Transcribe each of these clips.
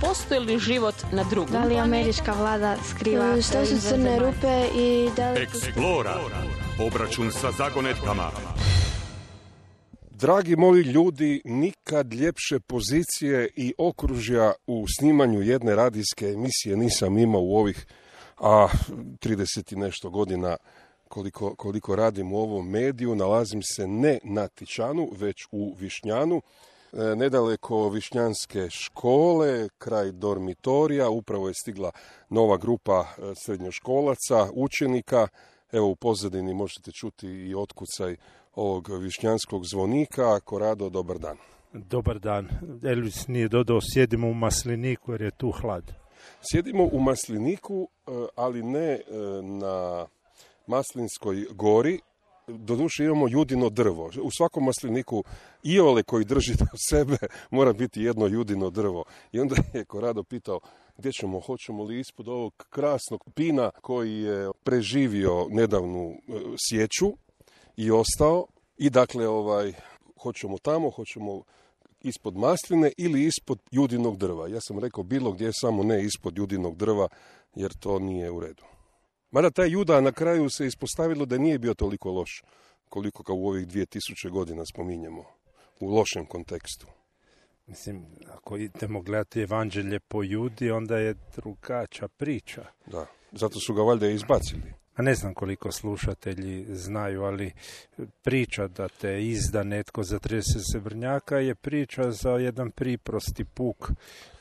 postoji li život na drugom? Da li američka vlada skriva šta su crne rupe i da li... Eksplora. Obračun sa zagonetkama. Dragi moji ljudi, nikad ljepše pozicije i okružja u snimanju jedne radijske emisije nisam imao u ovih 30 i nešto godina koliko radim u ovom mediju. Nalazim se ne na Tičanu, već u Višnjanu, nedaleko Višnjanske škole, kraj dormitorija. Upravo je stigla nova grupa srednjoškolaca, učenika. Evo u pozadini možete čuti i otkucaj ovog višnjanskog zvonika. Korado, dobar dan. Dobar dan. Elvis nije dodao, sjedimo u Masliniku jer je tu hlad. Sjedimo u Masliniku, ali ne na Maslinskoj gori. Doduše imamo judino drvo. U svakom masliniku iole koji drži do sebe mora biti jedno judino drvo. I onda je Korado pitao gdje ćemo, hoćemo li ispod ovog krasnog pina koji je preživio nedavnu sječu i ostao. I dakle, hoćemo tamo, hoćemo ispod masline ili ispod judinog drva. Ja sam rekao bilo gdje, samo ne ispod judinog drva, jer to nije u redu. Mada taj Juda na kraju se ispostavilo da nije bio toliko loš, koliko ga u ovih 2000 godina spominjemo, u lošem kontekstu. Mislim, ako idemo gledati evanđelje po Judi, onda je drugačija priča. Da, zato su ga valjda izbacili. A ne znam koliko slušatelji znaju, ali priča da te izda netko za 30 srebrnjaka je priča za jedan priprosti puk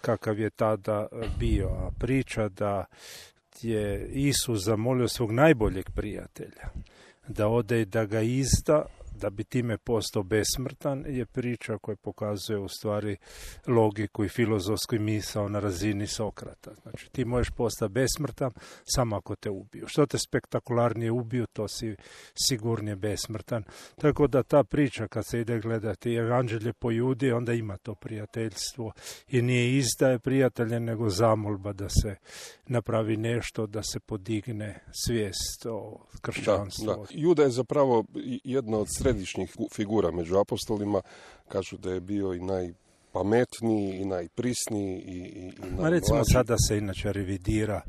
kakav je tada bio. A priča da je Isus zamolio svog najboljeg prijatelja da ode i da ga izda, da bi time postao besmrtan, je priča koja pokazuje u stvari logiku i filozofsku misao na razini Sokrata. Znači, ti možeš postati besmrtan samo ako te ubiju. Što te spektakularnije ubiju, to si sigurnije besmrtan. Tako da ta priča, kad se ide gledati evanđelje po Judi, onda ima to prijateljstvo i nije izdaje prijatelja, nego zamolba da se napravi nešto, da se podigne svijest o kršćanstvu. Da. Juda je zapravo jedna od središnjih figura među apostolima. Kažu da je bio i najpametniji i najprisniji i najmlađi. Recimo sada se inače revidira,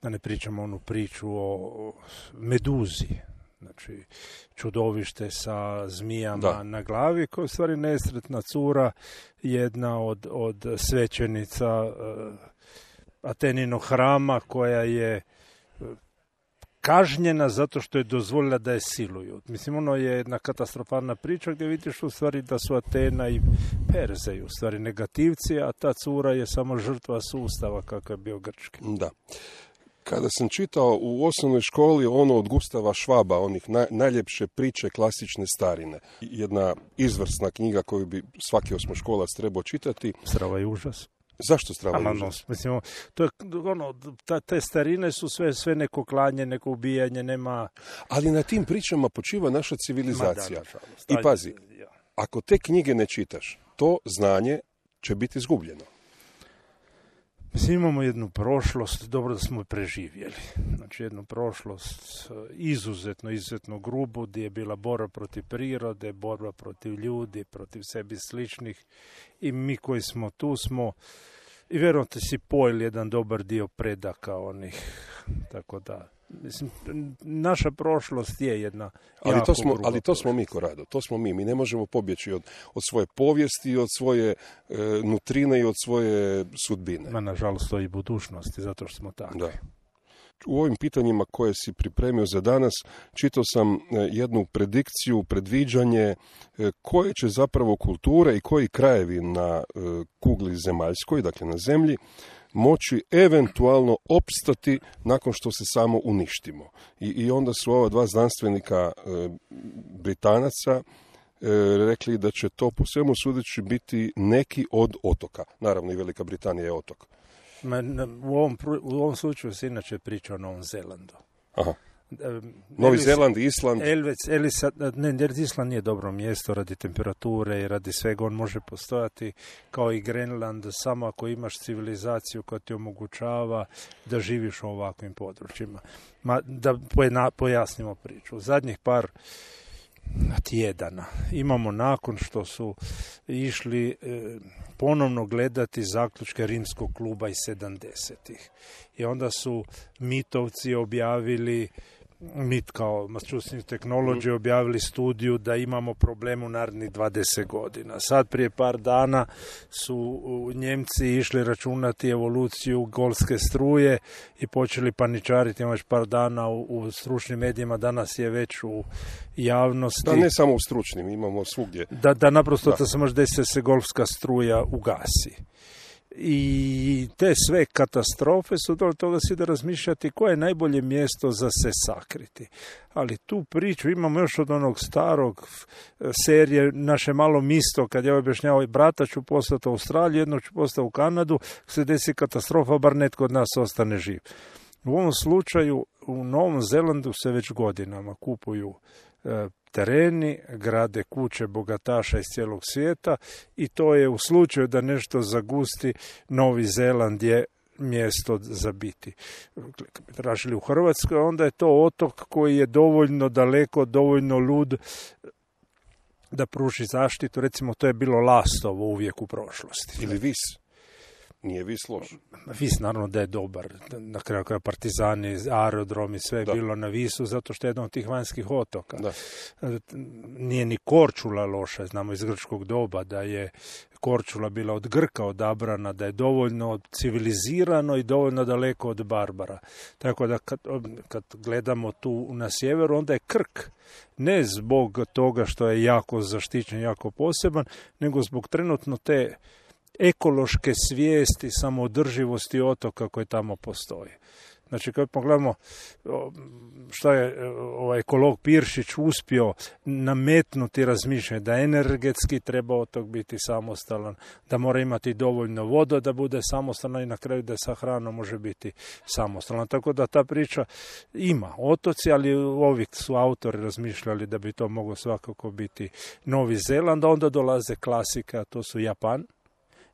da ne pričamo onu priču o Meduzi, znači čudovište sa zmijama na glavi, koja je u stvari nesretna cura, jedna od svećenica Ateninog hrama, koja je kažnjena zato što je dozvolila da je siluju. Mislim, ono je jedna katastrofalna priča gdje vidiš u stvari da su Atena i Perze u stvari negativci, a ta cura je samo žrtva sustava kakav je bio grčki. Da. Kada sam čitao u osnovnoj školi ono od Gustava Švaba, onih najljepše priče klasične starine, jedna izvrsna knjiga koju bi svaki osmoškolac trebao čitati. Strava i užas. Zašto strava i užas? Mislim, to je te starine su sve neko klanje, neko ubijanje, nema... Ali na tim pričama počiva naša civilizacija. I pazi, ako te knjige ne čitaš, to znanje će biti izgubljeno. Mislim, imamo jednu prošlost, dobro da smo je preživjeli. Znači, jednu prošlost izuzetno grubu, gdje je bila borba protiv prirode, borba protiv ljudi, protiv sebi sličnih. I mi koji smo tu smo, i vjerojatno si pojeli jedan dobar dio predaka onih, tako da... Mislim, naša prošlost je jedna ali to smo mi, Korado, to smo mi. Mi ne možemo pobjeći od svoje povijesti, od svoje nutrine i od svoje sudbine. Nažalost, to i budućnosti, zato što smo takvi. Da. U ovim pitanjima koje si pripremio za danas, čitao sam jednu predikciju, predviđanje koje će zapravo kulture i koji krajevi na kugli zemaljskoj, dakle na zemlji, moći eventualno opstati nakon što se samo uništimo. I onda su ova dva znanstvenika Britanaca rekli da će to po svemu sudeći biti neki od otoka. Naravno i Velika Britanija je otok. U ovom slučaju se inače priča o Novom Zelandu. Aha. Novi Zeland, Island. Island nije dobro mjesto radi temperature i radi svega. On može postojati kao i Grenland samo ako imaš civilizaciju koja ti omogućava da živiš u ovakvim područjima. Da pojasnimo priču. Zadnjih par tjedana. Imamo nakon što su išli ponovno gledati zaključke Rimskog kluba iz 70-ih. I onda su mitovci objavili, MIT kao Massachusetts Technology objavili studiju da imamo problem u narednih 20 godina. Sad prije par dana su Njemci išli računati evoluciju golske struje i počeli paničariti. Imamo već par dana u stručnim medijima, danas je već u javnosti. Da, ne samo u stručnim, imamo svugdje. Da naprosto da se može desiti da se golfska struja ugasi. I te sve katastrofe su do toga si da razmišljati koje je najbolje mjesto za se sakriti. Ali tu priču imamo još od onog starog serije Naše malo misto, kad ja objašnjavao brata ću poslati u Australiju, jednog ću poslati u Kanadu, se desi katastrofa, bar netko od nas ostane živ. U ovom slučaju u Novom Zelandu se već godinama kupuju tereni, grade kuće bogataša iz cijelog svijeta i to je u slučaju da nešto zagusti, Novi Zeland je mjesto za biti. Kad bi tražili u Hrvatskoj, onda je to otok koji je dovoljno daleko, dovoljno lud da pruži zaštitu. Recimo, to je bilo Lastovo uvijek u prošlosti. Ili Vis. Nije Vis loš. Vis naravno da je dobar. Na kraju kraja Partizani, aerodromi, sve je bilo na Visu, zato što je jedan od tih vanjskih otoka. Da. Nije ni Korčula loša, znamo iz grčkog doba da je Korčula bila od Grka odabrana, da je dovoljno civilizirano i dovoljno daleko od Barbara. Tako da kad gledamo tu na sjeveru, onda je Krk ne zbog toga što je jako zaštićen, jako poseban, nego zbog trenutno te ekološke svijesti, samoodrživosti otoka koje tamo postoje. Znači, kad pogledamo što je ovaj ekolog Piršić uspio nametnuti razmišljanje da energetski treba otok biti samostalan, da mora imati dovoljno voda da bude samostalan i na kraju da sa hranom može biti samostalan. Tako da ta priča ima otoci, ali ovi su autori razmišljali da bi to moglo svakako biti Novi Zeland, a onda dolaze klasika, to su Japan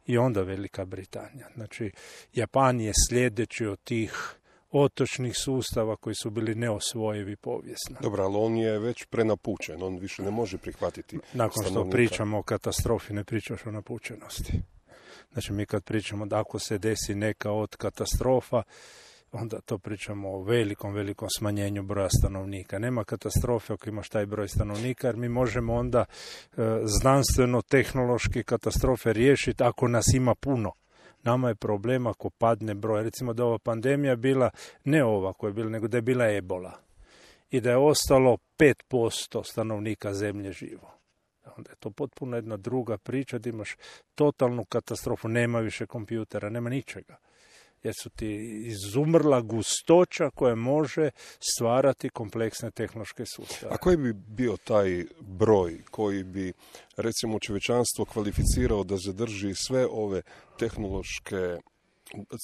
i onda Velika Britanija. Znači, Japan je sljedeći od tih otočnih sustava koji su bili neosvojivi povijesno. Dobro, ali on je već prenapučen, on više ne može prihvatiti Nakon što stanovnika. pričamo o katastrofi, ne pričaš o napučenosti. Znači, mi kad pričamo da ako se desi neka od katastrofa, onda to pričamo o velikom smanjenju broja stanovnika. Nema katastrofe ako imaš taj broj stanovnika, jer mi možemo onda znanstveno-tehnološki katastrofe riješiti ako nas ima puno. Nama je problem ako padne broj. Recimo da ova pandemija bila ne ova koja je bila, nego da je bila ebola. I da je ostalo 5% stanovnika zemlje živo. Onda je to potpuno jedna druga priča, da imaš totalnu katastrofu, nema više kompjutera, nema ničega. Jer su ti izumrla gustoća koja može stvarati kompleksne tehnološke sustave. A koji bi bio taj broj koji bi, recimo, čovječanstvo kvalificirao da zadrži sve ove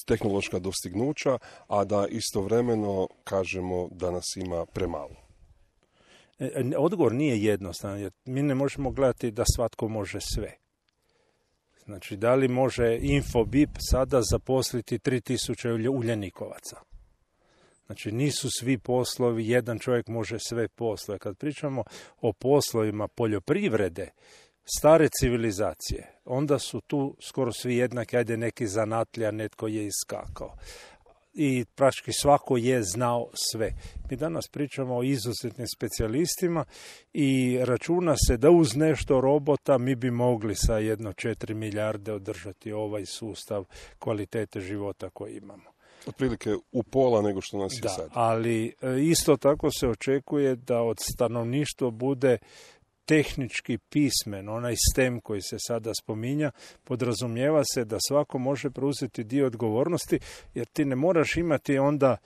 tehnološka dostignuća, a da istovremeno kažemo da nas ima premalo? Odgovor nije jednostavan, jer mi ne možemo gledati da svatko može sve. Znači, da li može Infobip sada zaposliti 3000 uljanikovaca? Znači, nisu svi poslovi, jedan čovjek može sve poslove. Kad pričamo o poslovima poljoprivrede, stare civilizacije, onda su tu skoro svi jednaki, ajde neki zanatlija, netko je iskakao. I praktički svako je znao sve. Mi danas pričamo o izuzetnim specijalistima i računa se da uz nešto robota mi bi mogli sa 1,4 milijarde održati ovaj sustav kvalitete života koji imamo. Otprilike u pola nego što nas je sad. Ali isto tako se očekuje da od stanovništva bude tehnički pismen, onaj STEM koji se sada spominja, podrazumijeva se da svako može preuzeti dio odgovornosti, jer ti ne moraš imati onda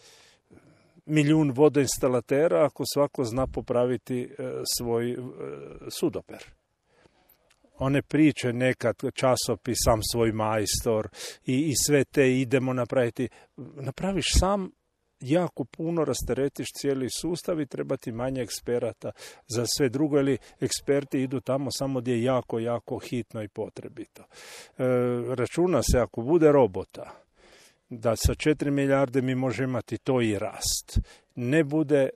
1.000.000 vodoinstalatera ako svako zna popraviti svoj sudoper. One priče nekad, časopis, sam svoj majstor i sve te idemo napraviti. Napraviš sam, jako puno rasteretiš cijeli sustav i treba ti manje eksperata za sve drugo, ili eksperti idu tamo samo gdje je jako hitno i potrebito. Računa se ako bude robota da sa 4 milijarde mi možemo imati to i rast. Ne bude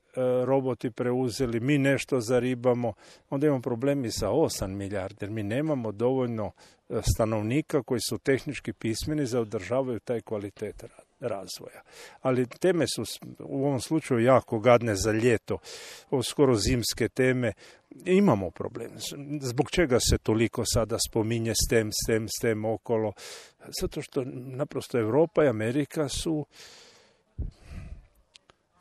roboti preuzeli, mi nešto zaribamo, onda imamo problemi sa 8 milijardi, jer mi nemamo dovoljno stanovnika koji su tehnički pismeni za održavaju taj kvalitet razvoja. Ali teme su u ovom slučaju jako gadne za ljeto, skoro zimske teme. Imamo problem. Zbog čega se toliko sada spominje STEM okolo? Zato što naprosto Europa i Amerika su,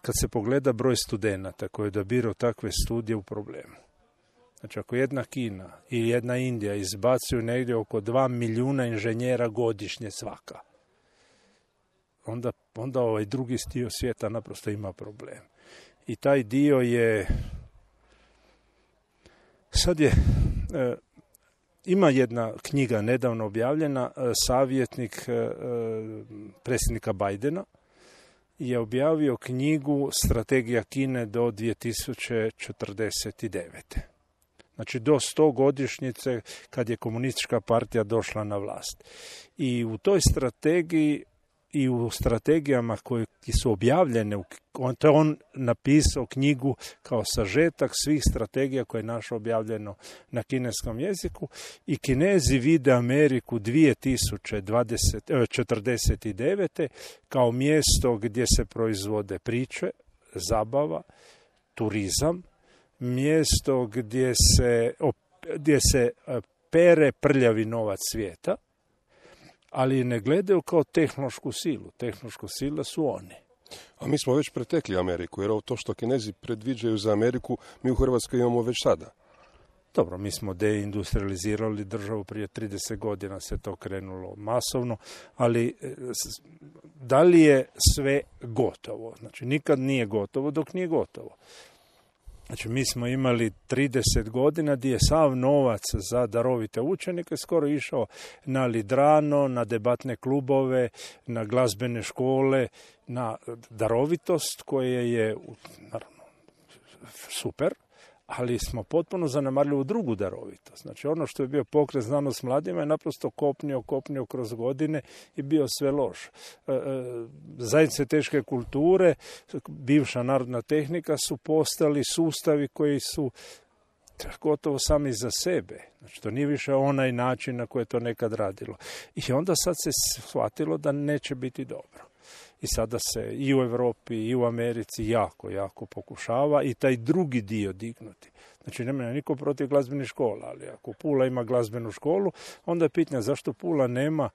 kad se pogleda broj studenata koji odabiraju takve studije, u problemu. Znači, ako jedna Kina i jedna Indija izbacuju negdje oko 2 milijuna inženjera godišnje svaka, onda ovaj drugi dio svijeta naprosto ima problem. I taj dio je... Sad je... Ima jedna knjiga nedavno objavljena, savjetnik predsjednika Bidena je objavio knjigu Strategija Kine do 2049. Znači do 100 godišnjice kad je komunistička partija došla na vlast. I u toj strategiji i u strategijama koje su objavljene, to je on napisao knjigu kao sažetak svih strategija koje je našo objavljeno na kineskom jeziku, i Kinezi vide Ameriku 2049. kao mjesto gdje se proizvode priče, zabava, turizam, mjesto gdje se pere prljavi novac svijeta, ali ne gledaju kao tehnološku silu. Tehnološku silu su oni. A mi smo već pretekli Ameriku, jer ovo to što Kinezi predviđaju za Ameriku, mi u Hrvatskoj imamo već sada. Dobro, mi smo deindustrializirali državu, prije 30 godina se to krenulo masovno, ali da li je sve gotovo? Znači, nikad nije gotovo dok nije gotovo. Znači, mi smo imali 30 godina gdje je sav novac za darovite učenike skoro išao na lidrano, na debatne klubove, na glazbene škole, na darovitost koje je, naravno, super, ali smo potpuno zanemarili u drugu darovitost. Znači, ono što je bio pokret znanost mladima je naprosto kopnio kroz godine i bio sve loš. Zajednice teške kulture, bivša narodna tehnika su postali sustavi koji su gotovo sami za sebe. Znači, to nije više onaj način na koji je to nekad radilo. I onda sad se shvatilo da neće biti dobro. I sada se i u Europi i u Americi jako pokušava i taj drugi dio dignuti. Znači, nema niko protiv glazbenih škola, ali ako Pula ima glazbenu školu, onda je pitanje zašto Pula nema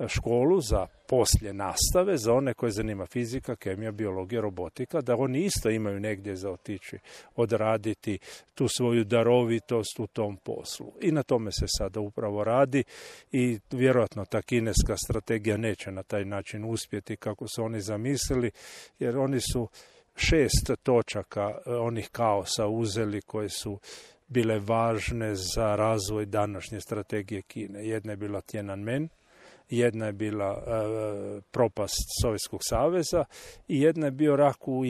školu za poslije nastave, za one koje zanima fizika, kemija, biologija, robotika, da oni isto imaju negdje za otići, odraditi tu svoju darovitost u tom poslu. I na tome se sada upravo radi i vjerojatno ta kineska strategija neće na taj način uspjeti kako su oni zamislili, jer oni su 6 točaka onih kaosa uzeli koje su bile važne za razvoj današnje strategije Kine. Jedna je bila Tiananmen, jedna je bila propast Sovjetskog saveza i jedna je bio rat u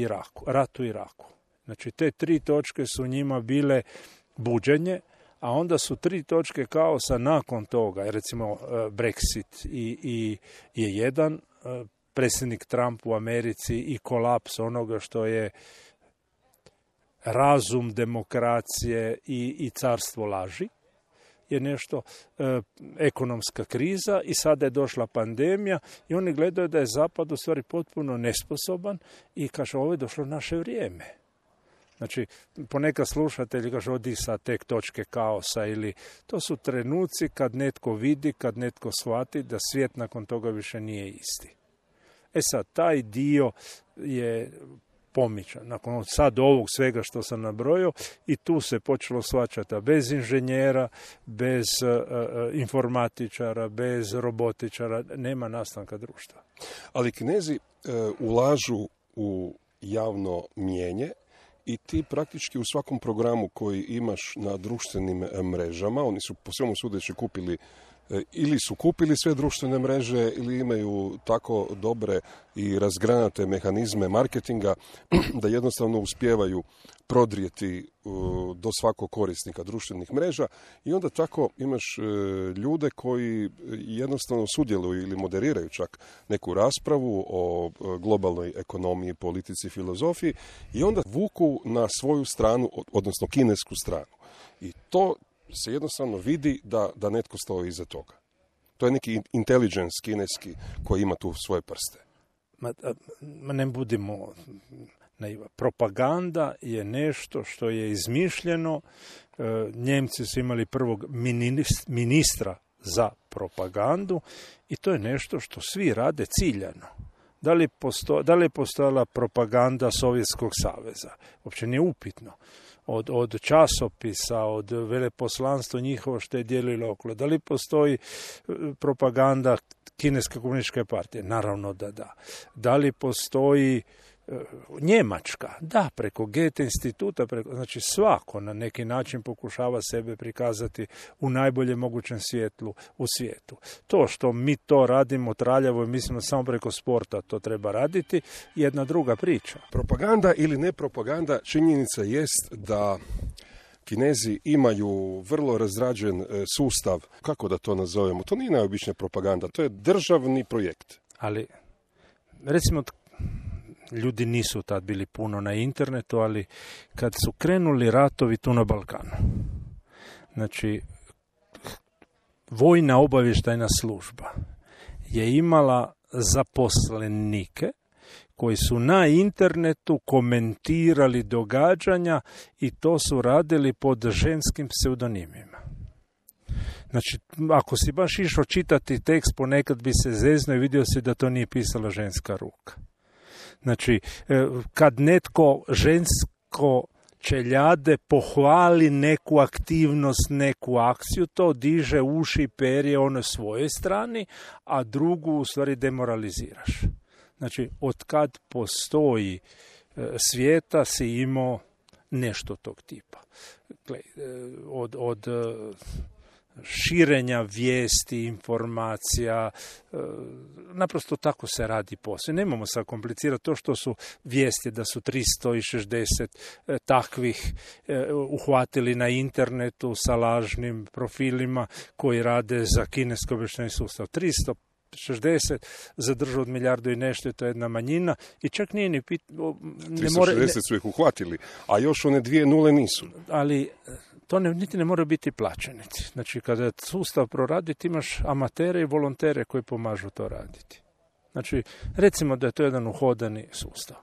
Iraku. Znači, te 3 točke su njima bile buđenje, a onda su 3 točke kaosa nakon toga, recimo Brexit je jedan, predsjednik Trump u Americi i kolaps onoga što je razum demokracije i carstvo laži, je nešto, ekonomska kriza i sada je došla pandemija i oni gledaju da je Zapad u stvari potpuno nesposoban i kaže, ovo je došlo naše vrijeme. Znači, ponekad slušatelji kaže, odi sa tek točke kaosa, ili to su trenuci kad netko vidi, kad netko shvati da svijet nakon toga više nije isti. Sad, taj dio je pomičan. Nakon sad ovog svega što sam nabrojio, i tu se počelo shvaćati bez inženjera, bez informatičara, bez robotičara, nema nastanka društva. Ali Kinezi ulažu u javno mnijenje i ti praktički u svakom programu koji imaš na društvenim mrežama, oni su po svemu sudeći kupili ili su kupili sve društvene mreže ili imaju tako dobre i razgranate mehanizme marketinga da jednostavno uspijevaju prodrijeti do svakog korisnika društvenih mreža i onda tako imaš ljude koji jednostavno sudjeluju ili moderiraju čak neku raspravu o globalnoj ekonomiji, politici, filozofiji i onda vuku na svoju stranu, odnosno kinesku stranu. I to se jednostavno vidi da netko stoji iza toga. To je neki intelligence kineski koji ima tu svoje prste. Ne budimo naiva. Propaganda je nešto što je izmišljeno. Njemci su imali prvog ministra za propagandu i to je nešto što svi rade ciljano. Da li je postojala propaganda Sovjetskog saveza? Uopće nije upitno. Od časopisa, od veleposlanstva njihovo što je dijelilo okolo. Da li postoji propaganda Kineske komunističke partije? Naravno da da. Da li postoji Njemačka? Da, preko Goethe instituta, znači svako na neki način pokušava sebe prikazati u najboljem mogućem svjetlu u svijetu. To što mi to radimo traljavo i mislimo samo preko sporta to treba raditi, jedna druga priča. Propaganda ili ne propaganda, činjenica jest da Kinezi imaju vrlo razrađen sustav, kako da to nazovemo, to nije najobičnija propaganda, to je državni projekt. Ali, recimo, ljudi nisu tad bili puno na internetu, ali kad su krenuli ratovi tu na Balkanu, znači, vojna obavještajna služba je imala zaposlenike koji su na internetu komentirali događanja i to su radili pod ženskim pseudonimima. Znači, ako si baš išao čitati tekst, ponekad bi se zeznuo i vidio si da to nije pisala ženska ruka. Znači, kad netko žensko čeljade pohvali neku aktivnost, neku akciju, to diže uši i perje onoj svojoj strani, a drugu u stvari demoraliziraš. Znači, od kad postoji svijeta si imao nešto tog tipa. Od širenja vijesti, informacija, naprosto tako se radi posao. Nemamo sad komplicirati to što su vijesti da su 360 takvih uhvatili na internetu sa lažnim profilima koji rade za kineski obavještajni sustav. 360 zadržao od milijardu i nešto, je to jedna manjina i čak nije ni 360 su ih uhvatili, a još one 2 nule nisu. Ali to niti ne mora biti plaćenici. Znači, kada sustav proradi, ti imaš amatere i volontere koji pomažu to raditi. Znači, recimo da je to jedan uhodani sustav.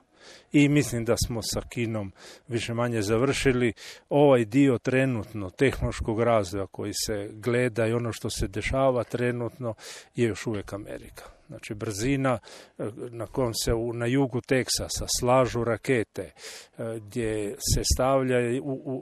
I mislim da smo sa Kinom više manje završili ovaj dio trenutno tehnološkog razvoja koji se gleda i ono što se dešava trenutno je još uvijek Amerika. Znači, brzina na kojom se na jugu Teksasa slažu rakete, gdje se stavlja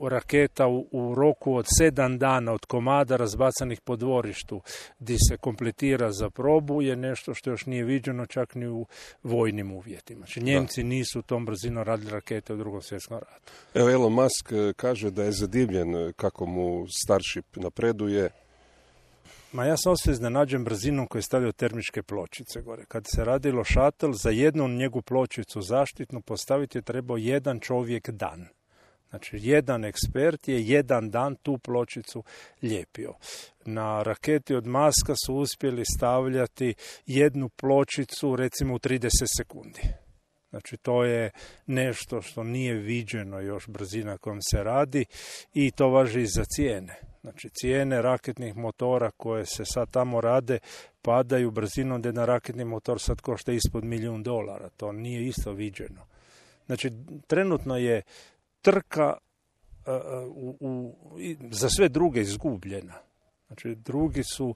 raketa u roku od 7 dana od komada razbacanih po dvorištu, gdje se kompletira za probu, je nešto što još nije viđeno čak ni u vojnim uvjetima. Znači, Njemci nisu tom brzinom radili rakete u Drugom svjetskom ratu. Evo, Elon Musk kaže da je zadivljen kako mu Starship napreduje. Ja sam osim iznenađen brzinom koju je stavio termičke pločice gore. Kad se radilo šatl, za jednu njegu pločicu zaštitnu postaviti je trebao jedan čovjek dan. Znači, jedan ekspert je jedan dan tu pločicu lijepio. Na raketi od Muska su uspjeli stavljati jednu pločicu, recimo, u 30 sekundi. Znači, to je nešto što nije viđeno još brzina kojom se radi i to važi i za cijene. Znači, cijene raketnih motora koje se sad tamo rade padaju brzinom da jedan raketni motor sad košta ispod $1.000.000. To nije isto viđeno. Znači, trenutno je trka za sve druge izgubljena. Znači, drugi su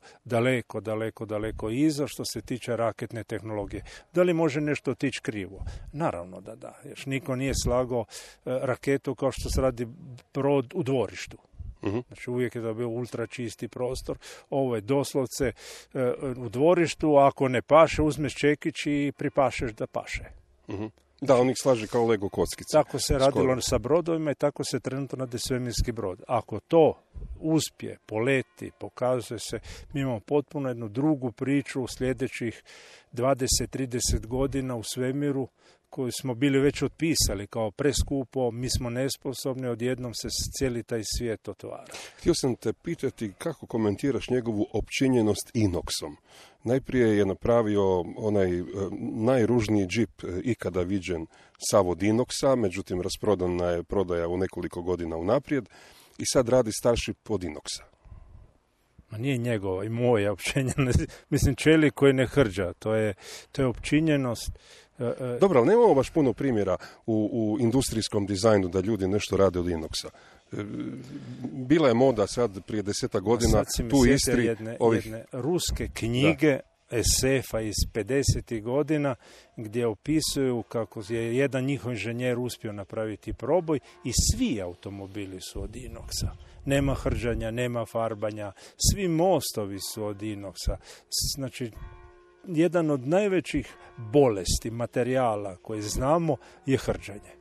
daleko iza što se tiče raketne tehnologije. Da li može nešto otići krivo? Naravno da da. Još niko nije slagao raketu kao što se radi brod u dvorištu. Znači, uvijek je to bio ultra čisti prostor. Ovo je doslovce u dvorištu, a ako ne paše, uzmeš čekić i pripašeš da paše. Da, on ih slaže kao Lego kockice. Tako se radilo sa brodovima i tako se trenutno radi svemirski brod. Ako to uspije, poleti, pokazuje se, mi imamo potpuno jednu drugu priču u sljedećih 20-30 godina u svemiru, koju smo bili već otpisali kao preskupo, mi smo nesposobni, odjednom se cijeli taj svijet otvara. Htio sam te pitati kako komentiraš njegovu opčinjenost inoksom. Najprije je napravio onaj najružniji džip ikada viđen sav od inoksa, međutim rasprodana je prodaja u nekoliko godina unaprijed i sad radi Starship od inoksa. Ma nije njegova i moja opčinjenost. Mislim, čelik koji ne hrđa, to je opčinjenost. Dobro, ali nemamo baš puno primjera u industrijskom dizajnu da ljudi nešto rade od inoksa. Bila je moda sad prije 10 godina tu u Istri jedne ruske knjige SF-a iz 50. godina gdje opisuju kako je jedan njihov inženjer uspio napraviti proboj i svi automobili su od inoksa. Nema hrđanja, nema farbanja, svi mostovi su od inoksa. Znači, jedan od najvećih bolesti materijala koje znamo je hrđanje.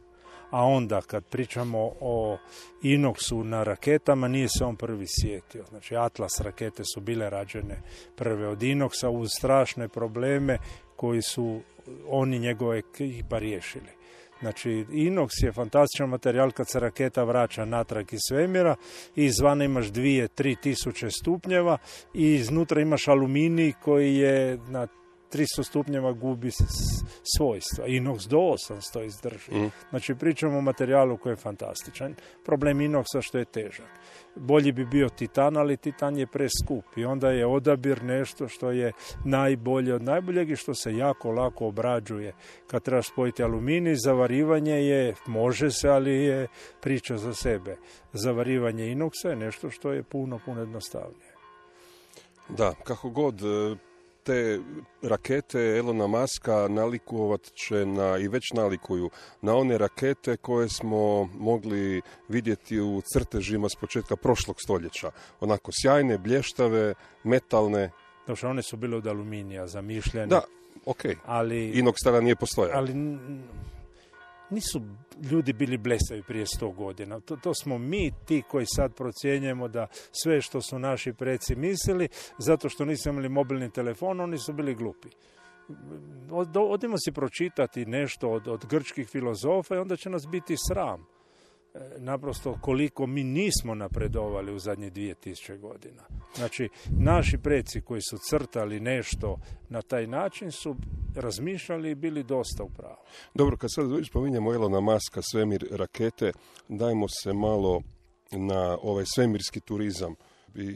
A onda kad pričamo o inoksu na raketama, nije se on prvi sjetio. Znači, Atlas rakete su bile rađene prve od inoksa uz strašne probleme koji su oni njegove ekipa riješili. Znači, inoks je fantastičan materijal kad se raketa vraća natrag iz svemira i izvana imaš 2-3 tisuće stupnjeva i iznutra imaš aluminij koji je na 300 stupnjeva gubi svojstva. Inoks do 800 izdrži. Znači, pričamo o materijalu koji je fantastičan. Problem inoksa što je težak. Bolji bi bio titan, ali titan je preskup i onda je odabir nešto što je najbolje od najboljeg i što se jako lako obrađuje. Kad trebaš spojiti aluminij, zavarivanje je, može se, ali je priča za sebe. Zavarivanje inoksa je nešto što je puno jednostavnije. Da, kako god te rakete Elona Muska nalikovat će i već nalikuju na one rakete koje smo mogli vidjeti u crtežima s početka prošlog stoljeća. Onako sjajne, blještave, metalne. Znači, one su bile od aluminija zamišljene. Da, okej. Ali inoks tada nije postojao. Ali nisu ljudi bili blesavi prije 100 godina. To smo mi ti koji sad procjenjujemo da sve što su naši preci mislili, zato što nisu imali mobilni telefon, oni su bili glupi. Odimo si pročitati nešto od grčkih filozofa i onda će nas biti sram. Naprosto koliko mi nismo napredovali u zadnjih 2000 godina. Znači, naši preci koji su crtali nešto na taj način su razmišljali i bili dosta u pravu. Dobro, kad sad spominjemo Elona Muska, svemir, rakete, dajmo se malo na ovaj svemirski turizam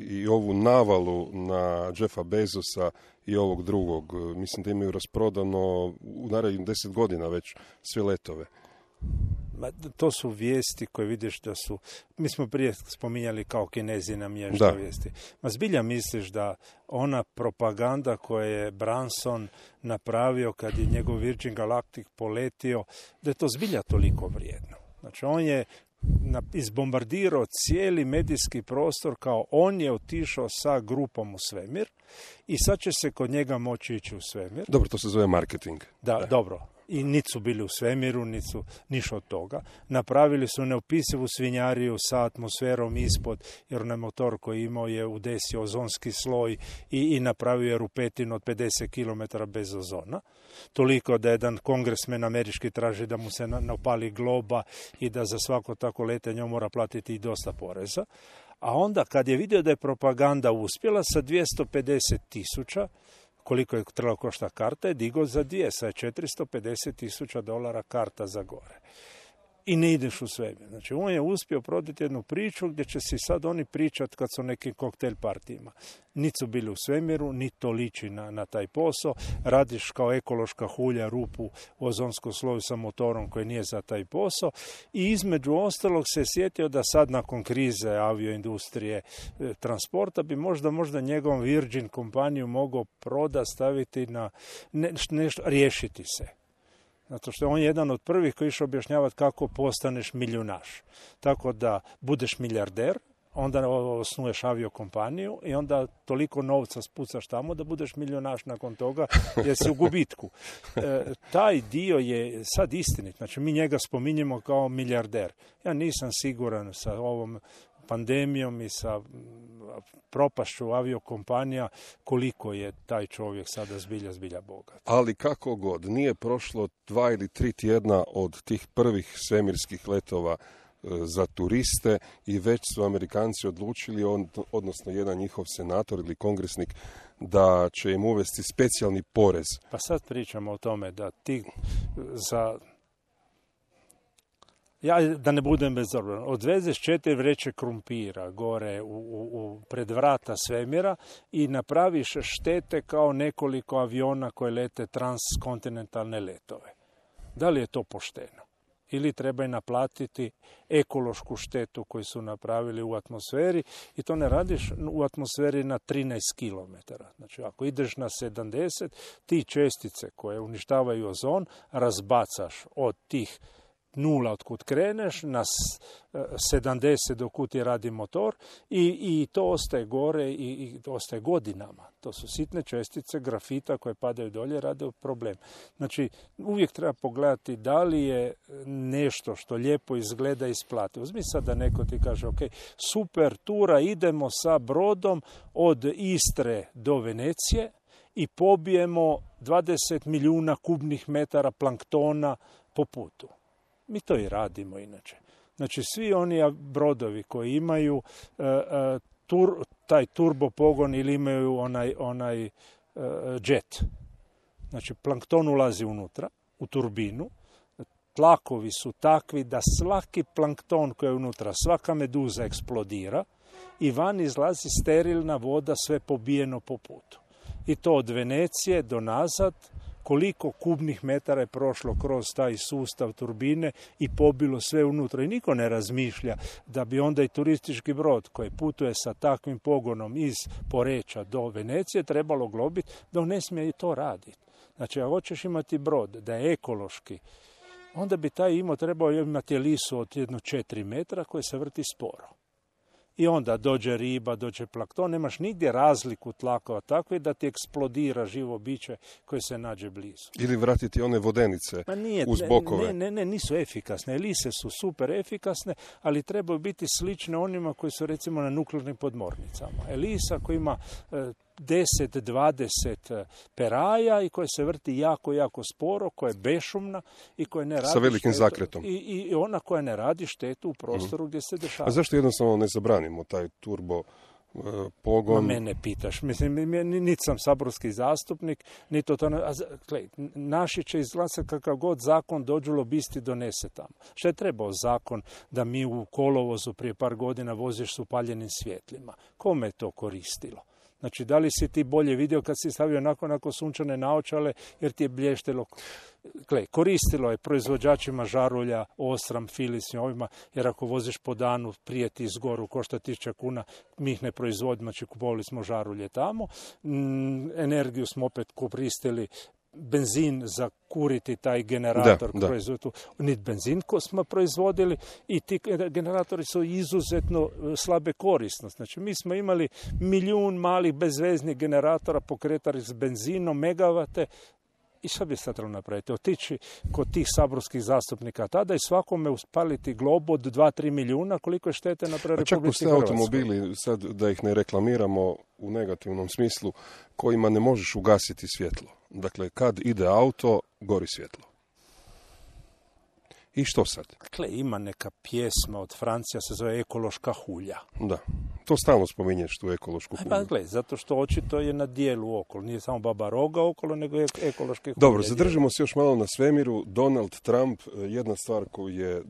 i ovu navalu na Jeffa Bezosa i ovog drugog. Mislim da imaju rasprodano u narednih 10 godina već sve letove. To su vijesti koje vidiš da su, mi smo prije spominjali kao Kinezi namješta vijesti. Ma zbilja misliš da ona propaganda koju je Branson napravio kad je njegov Virgin Galactic poletio, da je to zbilja toliko vrijedno. Znači, on je izbombardirao cijeli medijski prostor kao on je otišao sa grupom u svemir i sad će se kod njega moći ići u svemir. Dobro, to se zove marketing. Da, dobro. I niti su bili u svemiru, niti su ništa od toga. Napravili su neopisivu svinjariju sa atmosferom ispod, jer onaj motor koji imao je udesio ozonski sloj i napravio je rupetinu od 50 km bez ozona. Toliko da jedan kongresmen američki traži da mu se napali globa i da za svako tako letenje mora platiti i dosta poreza. A onda kad je vidio da je propaganda uspjela sa 250.000, koliko je trebalo košta karta, je digao za 2, sa $450,000 karta za gore. I ne ideš u svemir. Znači, on je uspio prodati jednu priču gdje će si sad oni pričati kad su nekim koktel partijima. Niti su bili u svemiru, niti to liči na taj posao. Radiš kao ekološka hulja rupu u ozonskom sloju sa motorom koji nije za taj posao. I između ostalog se sjetio da sad nakon krize avioindustrije transporta bi možda njegovom Virgin kompaniju mogao staviti na nešto, riješiti se. Zato što on je jedan od prvih koji išao objašnjavati kako postaneš milijunaš. Tako da budeš milijarder, onda osnuješ aviokompaniju i onda toliko novca spucaš tamo da budeš milijunaš nakon toga jer si u gubitku. Taj dio je sad istinit. Znači, mi njega spominjemo kao milijarder. Ja nisam siguran sa ovom pandemijom i sa propašću aviokompanija, koliko je taj čovjek sada zbilja bogat. Ali kako god, nije prošlo 2 ili 3 tjedna od tih prvih svemirskih letova za turiste i već su Amerikanci odlučili, odnosno jedan njihov senator ili kongresnik, da će im uvesti specijalni porez. Pa sad pričamo o tome da ti za... Ja, da ne budem bezobrazan, odvezeš 4 vreće krumpira gore pred vrata svemira i napraviš štete kao nekoliko aviona koje lete transkontinentalne letove. Da li je to pošteno? Ili treba i naplatiti ekološku štetu koju su napravili u atmosferi i to ne radiš u atmosferi na 13 km. Znači, ako ideš na 70, ti čestice koje uništavaju ozon razbacaš od tih 0 otkud kreneš na 70 dokud ti radi motor i to ostaje gore i ostaje godinama. To su sitne čestice grafita koje padaju dolje, rade problem. Znači, uvijek treba pogledati da li je nešto što lijepo izgleda isplati. Uzmi sad da neko ti kaže, ok, super tura, idemo sa brodom od Istre do Venecije i pobijemo 20 milijuna kubnih metara planktona po putu. Mi to i radimo inače. Znači, svi oni brodovi koji imaju taj turbopogon ili imaju onaj jet. Znači, plankton ulazi unutra, u turbinu. Tlakovi su takvi da svaki plankton koji je unutra, svaka meduza eksplodira i van izlazi sterilna voda, sve pobijeno po putu. I to od Venecije do nazad, koliko kubnih metara je prošlo kroz taj sustav turbine i pobilo sve unutra. I niko ne razmišlja da bi onda i turistički brod koji putuje sa takvim pogonom iz Poreča do Venecije trebalo globiti da on ne smije i to raditi. Znači, ako hoćeš imati brod da je ekološki, onda bi taj trebao imati lisu od 4 metra koje se vrti sporo. I onda dođe riba, dođe plankton, nemaš nigdje razliku tlakova takve da ti eksplodira živo biće koje se nađe blizu. Ili vratiti one vodenice uz bokove. Ne, nisu efikasne. Lise su super efikasne, ali trebaju biti slične onima koji su recimo na nuklearnim podmornicama. Elisa koja ima 10-20 peraja i koja se vrti jako, jako sporo, koja je bešumna i koja ne radi sa velikim zakretom. I ona koja ne radi štetu u prostoru gdje se dešava. A zašto jednostavno ne zabranimo taj turbo pogon? Mene pitaš. Mislim, niti sam saborski zastupnik, niti to... Naši će izglasati kakav god zakon dođu lobisti donese tamo. Što je trebao zakon da mi u kolovozu prije par godina voziš s upaljenim svjetlima? Kome je to koristilo? Znači, da li si ti bolje vidio kad si stavio nakon sunčane naočale jer ti je blještelo? Koristilo je proizvođačima žarulja, Osram, Philips i ovima, jer ako voziš po danu prije ti izgoru, košta 1000 kuna, mi ih ne proizvodimo, znači kupovali smo žarulje tamo. Energiju smo opet koristili, benzin za kuriti taj generator. Niti benzin ko smo proizvodili i ti generatori su izuzetno slabe korisnosti. Znači, mi smo imali 1.000.000 malih bezveznih generatora pokretali s benzinom, megavate. I šta bi sad trebalo napraviti? Otići kod tih saborskih zastupnika tada i svakome uspaliti globu od 2-3 milijuna, koliko je štete napraviti Republici Hrvatskoj. Čak automobili, sad da ih ne reklamiramo u negativnom smislu, kojima ne možeš ugasiti svjetlo. Dakle, kad ide auto, gori svjetlo. I što sad? Ima neka pjesma od Francija, se zove Ekološka hulja. Da, to stalno spominješ, tu ekološku hulju. Zato što očito je na dijelu okolo. Nije samo Baba Roga okolo, nego je ekološke hulje. Dobro, zadržimo se još malo na svemiru. Donald Trump, jedna stvar koju je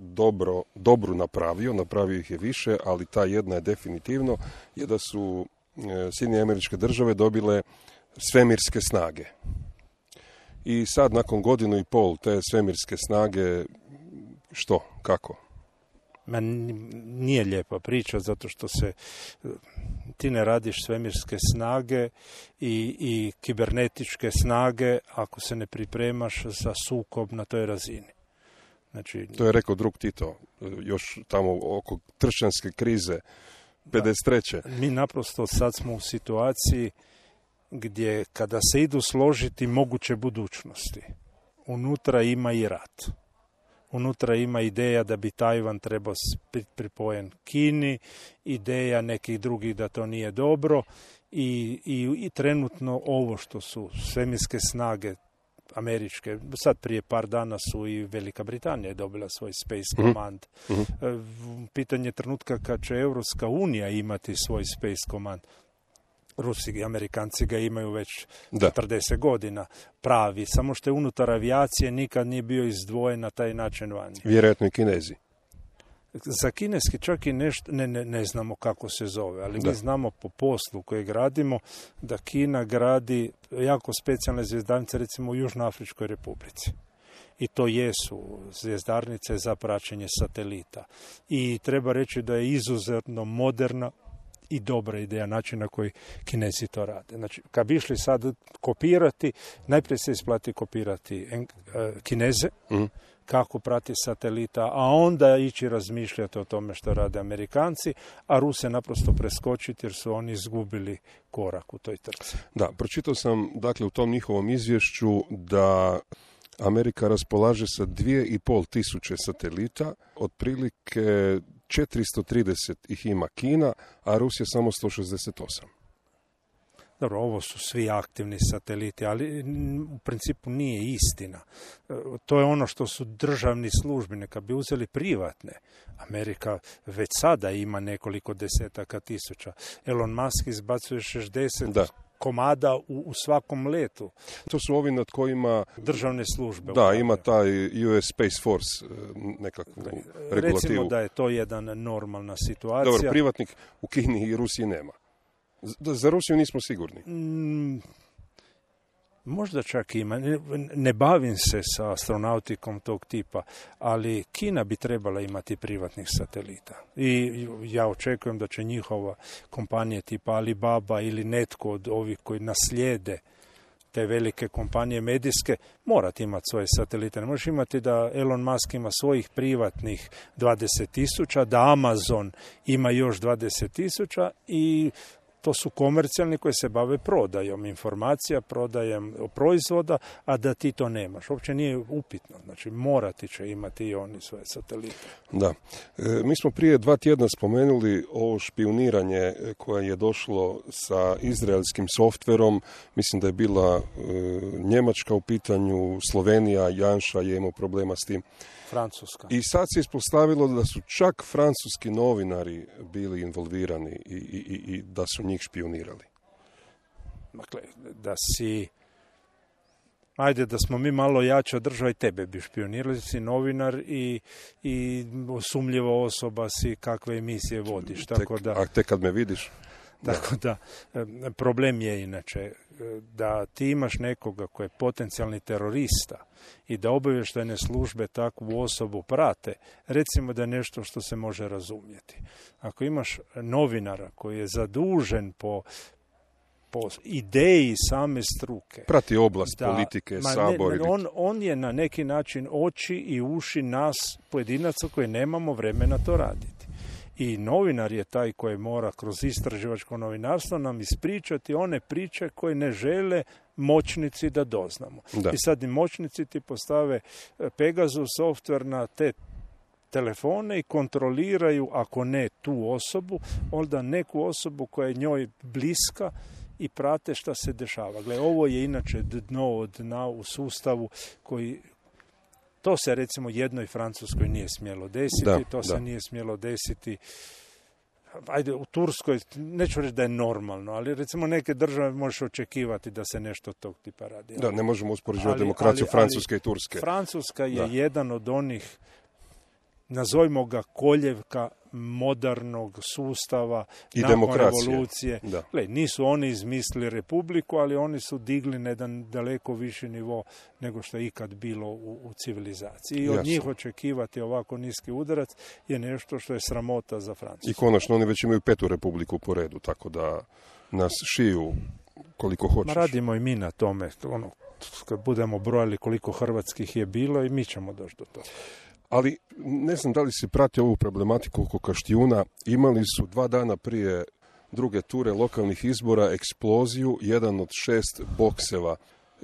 dobru napravio ih je više, ali ta jedna je definitivno, je da su Sjedinjene Američke Države dobile svemirske snage. I sad, nakon 1.5 godina te svemirske snage, što? Kako? Nije lijepa priča, zato što ti ne radiš svemirske snage i kibernetičke snage ako se ne pripremaš za sukob na toj razini. Znači, to je rekao drug Tito, još tamo oko tršćanske krize, 53. Mi naprosto sad smo u situaciji gdje kada se idu složiti moguće budućnosti, unutra ima i rat. Unutra ima ideja da bi Tajvan trebao biti pripojen Kini, ideja nekih drugih da to nije dobro i trenutno ovo što su svemirske snage američke, sad prije par dana su i Velika Britanija je dobila svoj Space Command. Pitanje trenutka kad će Europska unija imati svoj Space Command. Rusi i Amerikanci ga imaju već 40 godina pravi, samo što je unutar avijacije nikad nije bio izdvojen na taj način vani. Vjerojatno i Kinezi. Za kineski čak i nešto, ne znamo kako se zove, ali mi znamo po poslu koji gradimo da Kina gradi jako specijalne zvjezdarnice, recimo u Južnoafričkoj Republici. I to jesu zvjezdarnice za praćenje satelita. I treba reći da je izuzetno moderna i dobra ideja način na koji Kinezi to rade. Znači, kad bi išli sad kopirati, najprije se isplati kopirati Kineze, kako prati satelita, a onda ići razmišljati o tome što rade Amerikanci, a Ruse naprosto preskočiti jer su oni izgubili korak u toj trci. Da, pročitao sam dakle u tom njihovom izvješću da Amerika raspolaže sa 2500 satelita, otprilike 430 ih ima Kina, a Rusija samo 168. Dobro, ovo su svi aktivni sateliti, ali u principu nije istina. To je ono što su državni službi, neka bi uzeli privatne. Amerika već sada ima nekoliko desetaka tisuća. Elon Musk izbacuje 60 komada u svakom letu. To su ovi nad kojima državne službe. Da, ima taj US Space Force nekakvu regulativu. Recimo da je to jedna normalna situacija. Dobro, privatnik u Kini i Rusiji nema. Za Rusiju nismo sigurni. Možda čak ima. Ne bavim se sa astronautikom tog tipa, ali Kina bi trebala imati privatnih satelita. I ja očekujem da će njihova kompanije tipa Alibaba ili netko od ovih koji naslijede te velike kompanije medijske morati imati svoje satelite. Ne možeš imati da Elon Musk ima svojih privatnih 20,000, da Amazon ima još 20,000 i to su komercijalni koji se bave prodajom informacija, prodajom proizvoda, a da ti to nemaš. Uopće nije upitno. Znači, morati će imati i oni svoje satelite. Da. Mi smo prije 2 tjedna spomenuli ovo špijuniranje koje je došlo sa izraelskim softverom. Mislim da je bila Njemačka u pitanju, Slovenija, Janša je imao problema s tim. Francuska. I sad se ispostavilo da su čak francuski novinari bili involvirani i da su njih špijunirali. Dakle, da si... Ajde, da smo mi malo jača država i tebe bi špionirali, si novinar i sumljiva osoba si kakve emisije vodiš. A tek kad me vidiš... Tako da, problem je inače da ti imaš nekoga koji je potencijalni terorista i da obavještajne službe takvu osobu prate, recimo da je nešto što se može razumjeti. Ako imaš novinara koji je zadužen po ideji same struke. Prati oblast politike, sabor. On je na neki način oči i uši nas pojedinaca koji nemamo vremena to raditi. I novinar je taj koji mora kroz istraživačko novinarstvo nam ispričati one priče koje ne žele moćnici da doznamo. Da. I sad i moćnici ti postave Pegasus software na te telefone i kontroliraju, ako ne tu osobu, onda neku osobu koja je njoj bliska i prate šta se dešava. Gle, ovo je inače dno od dna u sustavu koji... To se recimo jednoj Francuskoj nije smjelo desiti, se nije smjelo desiti. Ajde, u Turskoj, neću reći da je normalno, ali recimo neke države možeš očekivati da se nešto tog tipa radi. Da, ne možemo uspoređivati demokraciju Francuske i Turske. Francuska je jedan od onih, nazovimo ga koljevka modernog sustava i nakon revolucije. Gle, nisu oni izmislili republiku, ali oni su digli na jedan daleko viši nivo nego što je ikad bilo u civilizaciji. I od njih očekivati ovako niski udarac je nešto što je sramota za Francusku. I konačno oni već imaju 5. republiku po redu, tako da nas šiju koliko hoćeš. Radimo i mi na tome. Kad budemo brojali koliko hrvatskih je bilo i mi ćemo doći do toga. Ali ne znam da li si pratio ovu problematiku oko Kaštijuna. Imali su 2 dana prije druge ture lokalnih izbora eksploziju, jedan od 6 bokseva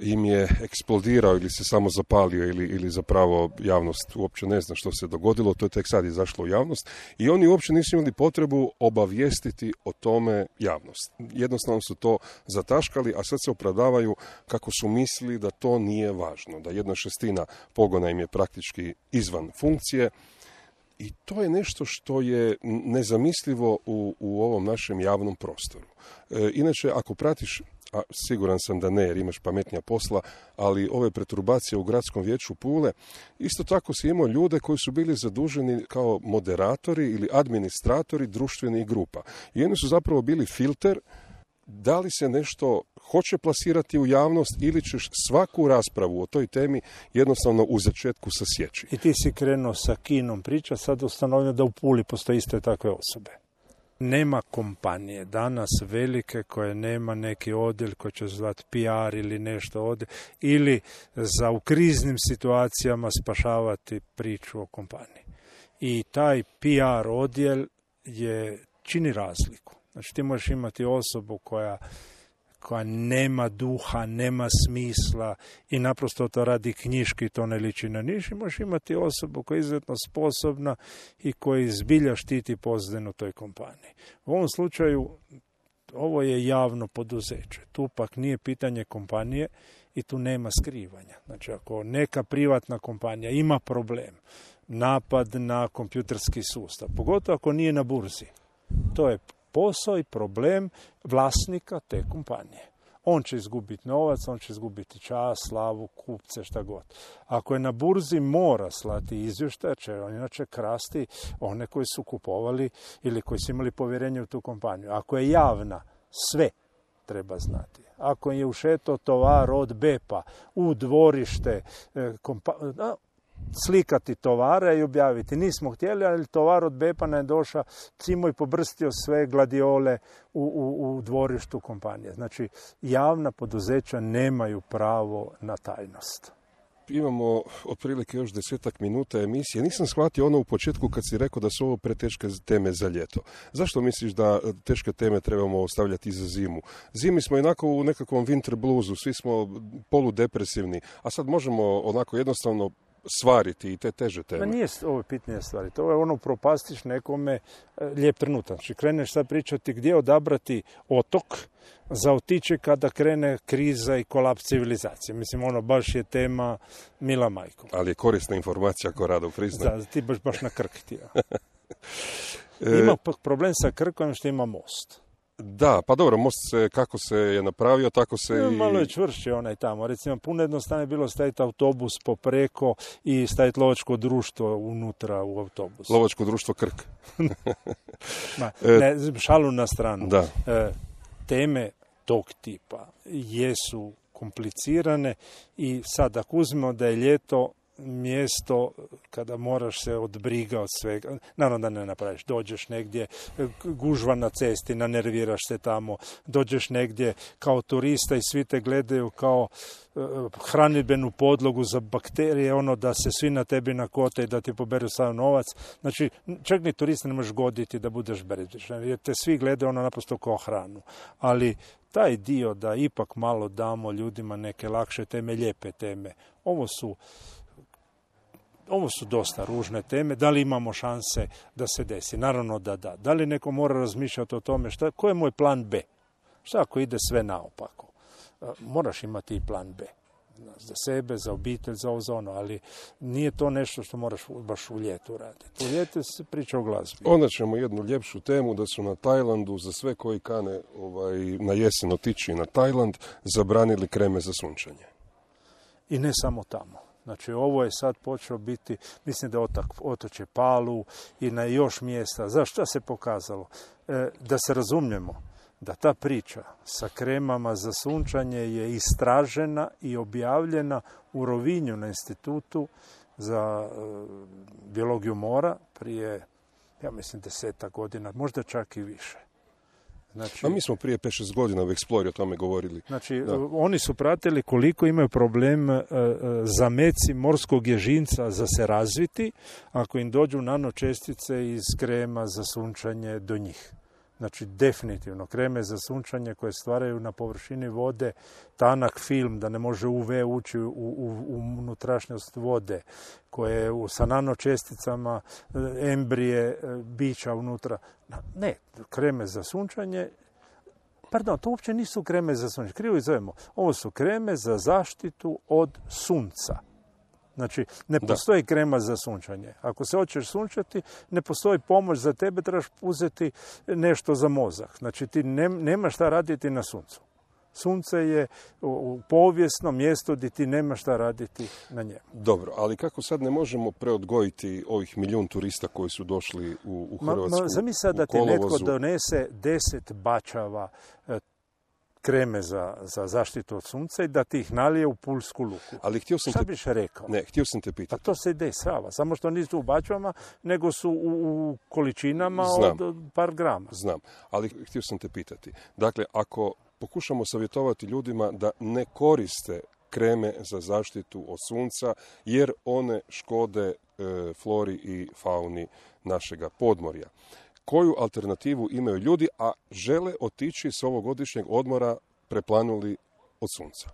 im je eksplodirao ili se samo zapalio ili zapravo javnost uopće ne zna što se dogodilo, to je tek sad izašlo u javnost i oni uopće nisu imali potrebu obavijestiti o tome javnost. Jednostavno su to zataškali, a sad se opravdavaju kako su mislili da to nije važno, da 1/6 pogona im je praktički izvan funkcije. I to je nešto što je nezamislivo u ovom našem javnom prostoru. Inače, ako pratiš, a siguran sam da ne jer imaš pametnija posla, ali ove perturbacije u Gradskom vijeću Pule, isto tako si imao ljude koji su bili zaduženi kao moderatori ili administratori društvenih grupa. I oni su zapravo bili filter da li se nešto hoće plasirati u javnost ili ćeš svaku raspravu o toj temi jednostavno u začetku sasjeći. I ti si krenuo sa kinom priča, sad ustanovljeno da u Puli postoje iste takve osobe. Nema kompanije danas velike koje nema neki odjel koji će zvati PR ili nešto odjel, ili za u kriznim situacijama spašavati priču o kompaniji. I taj PR odjel čini razliku. Znači ti možeš imati osobu koja nema duha, nema smisla i naprosto to radi knjiški, to ne liči na niš. I možeš imati osobu koja je izuzetno sposobna i koja zbilja štiti pozadinu toj kompaniji. U ovom slučaju ovo je javno poduzeće. Tu pak nije pitanje kompanije i tu nema skrivanja. Znači ako neka privatna kompanija ima problem, napad na kompjuterski sustav, pogotovo ako nije na burzi, to je posao i problem vlasnika te kompanije. On će izgubiti novac, on će izgubiti čast, slavu, kupce, šta god. Ako je na burzi, mora slati izvještaj, će on inače krasti one koji su kupovali ili koji su imali povjerenje u tu kompaniju. Ako je javna, sve treba znati. Ako je ušeto tovar od BEP-a u dvorište slikati tovara i objaviti. Nismo htjeli, ali tovar od BEP-a nam je došao, cimo i pobrstio sve gladiole u dvorištu kompanije. Znači, javna poduzeća nemaju pravo na tajnost. Imamo otprilike još 10 minuta emisije. Nisam shvatio ono u početku kad si rekao da su ovo preteške teme za ljeto. Zašto misliš da teške teme trebamo ostavljati za zimu? Zimi smo onako u nekakvom winter bluesu, svi smo poludepresivni, a sad možemo onako jednostavno svariti i te teže teme. Nije ovo pitanje stvariti. Ovo je ono propastiš nekome lijep trenutak. Znači kreneš sad pričati gdje odabrati otok za otići kada krene kriza i kolaps civilizacije. Mislim, ono baš je tema mila majko. Ali je korisna informacija ako rado priznaje. Da, ti baš na Krk ti. Ima problem sa Krkom što ima most. Da, pa dobro, most kako se je napravio, tako se i... Malo je čvršće onaj tamo. Recimo, puno jednostavno je bilo staviti autobus popreko i staviti lovačko društvo unutra u autobus. Lovačko društvo Krk. Šalu na stranu. Da. Teme tog tipa jesu komplicirane i sad ako uzmemo da je ljeto mjesto kada moraš se od briga od svega, naravno da ne napraviš, dođeš negdje, gužva na cesti, nanerviraš se tamo, dođeš negdje kao turista i svi te gledaju kao hranidbenu podlogu za bakterije, ono da se svi na tebi nakote i da ti poberu sav novac. Znači, čak ni turista ne možeš goditi da budeš beređešan, jer te svi gledaju ono naprosto kao hranu. Ali taj dio da ipak malo damo ljudima neke lakše teme, lijepe teme, ovo su dosta ružne teme. Da li imamo šanse da se desi? Naravno da da. Da li neko mora razmišljati o tome koji je moj plan B? Šta ako ide sve naopako? Moraš imati i plan B. Za sebe, za obitelj, za ono, ali nije to nešto što moraš baš u ljetu raditi. U ljetu se priča o glazbi. Onda ćemo jednu ljepšu temu da su na Tajlandu, za sve koji kane na jesen otići na Tajland, zabranili kreme za sunčanje. I ne samo tamo. Znači, ovo je sad počeo biti, mislim da je otočje Palu i na još mjesta. Zašto se pokazalo? Da se razumijemo, da ta priča sa kremama za sunčanje je istražena i objavljena u Rovinju na institutu za biologiju mora prije, ja mislim, 10 godina, možda čak i više. Znači, a mi smo prije 5-6 godina u Explori o tome govorili. Znači, oni su pratili koliko imaju problem zameci morskog ježinca za se razviti ako im dođu nanočestice iz krema za sunčanje do njih. Znači, definitivno, kreme za sunčanje koje stvaraju na površini vode tanak film da ne može UV ući u unutrašnjost vode, koje sa nanočesticama embrije bića unutra. Ne, kreme za sunčanje, pardon, to uopće nisu kreme za sunčanje, krivo ih zovemo. Ovo su kreme za zaštitu od sunca. Znači, ne postoji krema za sunčanje. Ako se hoćeš sunčati, ne postoji pomoć za tebe, trebaš uzeti nešto za mozak. Znači, ti nema šta raditi na suncu. Sunce je povijesno mjesto gdje ti nema šta raditi na njemu. Dobro, ali kako sad ne možemo preodgojiti ovih 1 milijun turista koji su došli u Hrvatsku? Zamisli da ti netko donese 10 bačava kreme za zaštitu od sunca i da ti ih nalije u Pulsku luku. Ali šta biš rekao? Ne, htio sam te pitati. Pa to se ide srava, samo što nisu u bačvama, nego su u količinama od par grama. Znam, ali htio sam te pitati. Dakle, ako pokušamo savjetovati ljudima da ne koriste kreme za zaštitu od sunca, jer one škode flori i fauni našega podmorja. Koju alternativu imaju ljudi, a žele otići s ovogodišnjeg odmora preplanuli od sunca?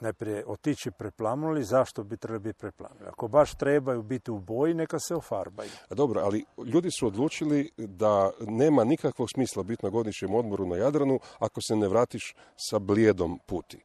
Najprije otići preplanuli, zašto bi trebali biti preplanuli? Ako baš trebaju biti u boji, neka se ofarbaju. Dobro, ali ljudi su odlučili da nema nikakvog smisla biti na godišnjem odmoru na Jadranu ako se ne vratiš sa blijedom puti.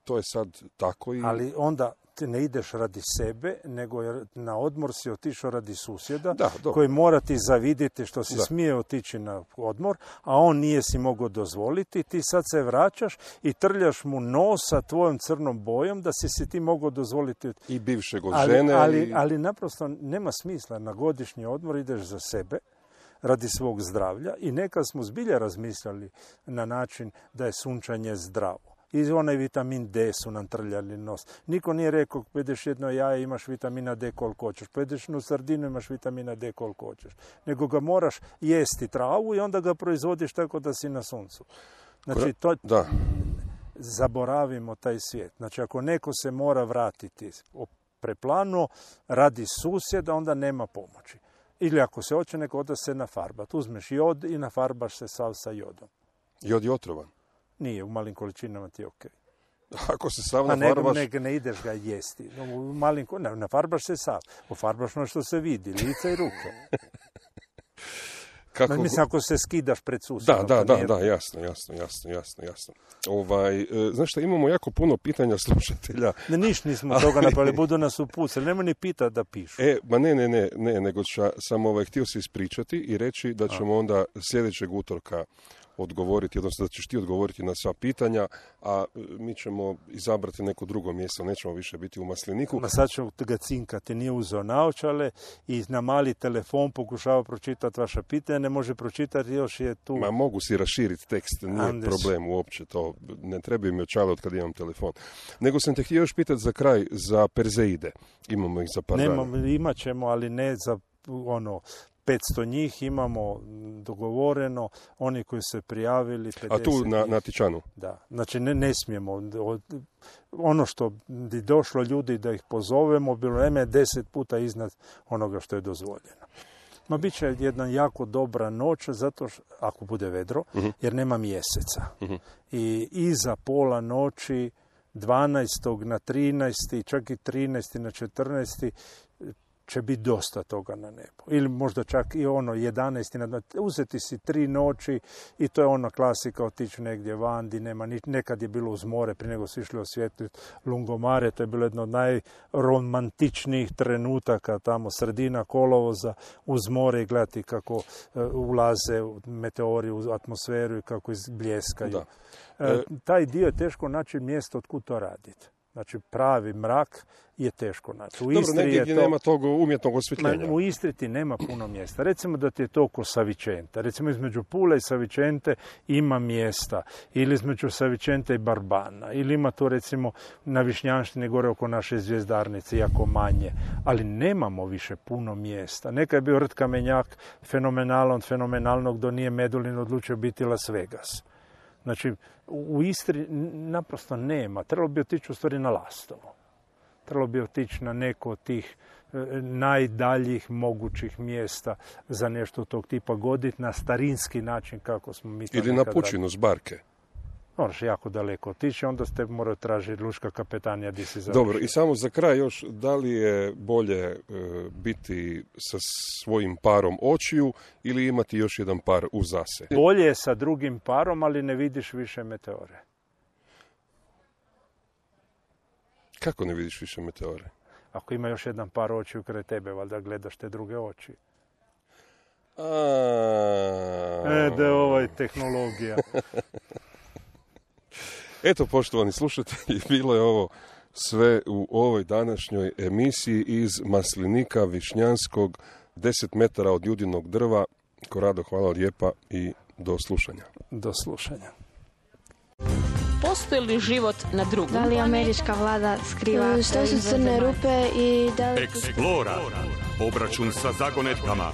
To je sad tako i... Ali onda ti ne ideš radi sebe, nego na odmor si otišao radi susjeda, koji mora ti zavidjeti što si smije otići na odmor, a on nije si mogao dozvoliti. Ti sad se vraćaš i trljaš mu nos sa tvojom crnom bojom da si ti mogao dozvoliti. I bivšeg od žene. Ali naprosto nema smisla. Na godišnji odmor ideš za sebe, radi svog zdravlja, i nekad smo zbilja razmišljali na način da je sunčanje zdravo. I onaj vitamin D su nam trljali nos. Niko nije rekao, pojedeš jedno jaje, imaš vitamina D koliko hoćeš. Pojedeš jednu sardinu, imaš vitamina D koliko hoćeš. Nego ga moraš jesti travu i onda ga proizvodiš tako da si na suncu. Znači, zaboravimo taj svijet. Znači, ako neko se mora vratiti preplano radi susjeda, onda nema pomoći. Ili ako se hoće, neko da se nafarbat. Uzmeš jod i nafarbaš se sav sa jodom. Jod je otrovan? Nije, u malim količinama ti je okej. Ako se sav nafarbaš... Ne ideš ga jesti. Nafarbaš se sav. Ofarbaš ono što se vidi, lice i ruke. Mislim, ako se skidaš pred susjedom. Da, jasno. Znaš šta, imamo jako puno pitanja slušatelja. Nismo toga napravili, budu nas upucali. Nema ni pitati da pišu. Ne, nego sam htio se ispričati i reći da ćemo onda sljedećeg utorka odgovoriti, odnosno da ćeš ti odgovoriti na sva pitanja, a mi ćemo izabrati neko drugo mjesto, nećemo više biti u Masliniku. Sad ću ga cinkati, nije uzeo naočale i na mali telefon pokušava pročitati vaša pitanja, ne može pročitati, još je tu... Mogu si raširiti tekst, nije problem uopće to, ne trebaju mi očale od kad imam telefon. Nego sam te htio još pitati za kraj, za Perzeide, imamo ih za par dana. Imat ćemo, ali ne za 500 njih imamo dogovoreno, oni koji se prijavili 50. A tu na Tičanu? Da, znači ne smijemo. Ono što bi došlo ljudi da ih pozovemo, bilo je 10 puta iznad onoga što je dozvoljeno. Bit će jedna jako dobra noć, zato što, ako bude vedro, jer nema mjeseca. I iza pola noći, 12. na 13. čak i 13. na 14. će biti dosta toga na nebu. Ili možda čak i 11. Uzeti si 3 noći i to je ona klasika, otići negdje van, di nema nekad je bilo uz more, prije nego su išli osvijetliti Lungomare, to je bilo jedno od najromantičnijih trenutaka, tamo sredina kolovoza uz more i gledati kako ulaze meteori u atmosferu i kako izbljeskaju. Taj dio je teško naći mjesto od kud to raditi. Znači, pravi mrak je teško naći. Dobro, negdje gdje nema tog umjetnog osvjetljenja. U Istri ti nema puno mjesta. Recimo da ti je to oko Savicente. Recimo između Pule i Savicente ima mjesta. Ili između Savicente i Barbana. Ili ima to recimo na Višnjanštini gore oko naše zvijezdarnice, jako manje. Ali nemamo više puno mjesta. Neka je bio Rt Kamenjak fenomenalan, fenomenalnog do nije Medulin odlučio biti Las Vegas. Znači, u Istri naprosto nema. Trebalo bi otići u stvari na Lastovo. trebalo bi otići na neko od tih najdaljih mogućih mjesta za nešto tog tipa, goditi na starinski način kako smo mi to ili na pučinu s barke. Moraš jako daleko otići, onda ste moraju tražiti lučka kapetanija gdje si završio. Dobro, i samo za kraj još, da li je bolje biti sa svojim parom očiju ili imati još jedan par uza se? Bolje je sa drugim parom, ali ne vidiš više meteore. Kako ne vidiš više meteore? Ako ima još jedan par očiju kraj tebe, valjda gledaš te druge oči. Da, ovo je tehnologija. Eto, poštovani slušatelji, bilo je ovo sve u ovoj današnjoj emisiji iz maslinika višnjanskog, 10 metara od judinog drva. Korado, hvala lijepa i do slušanja. Do slušanja. Postoji li život na drugom? Da li američka vlada skriva Što su crne rupe i da li... Explora. Obračun sa zagonetkama.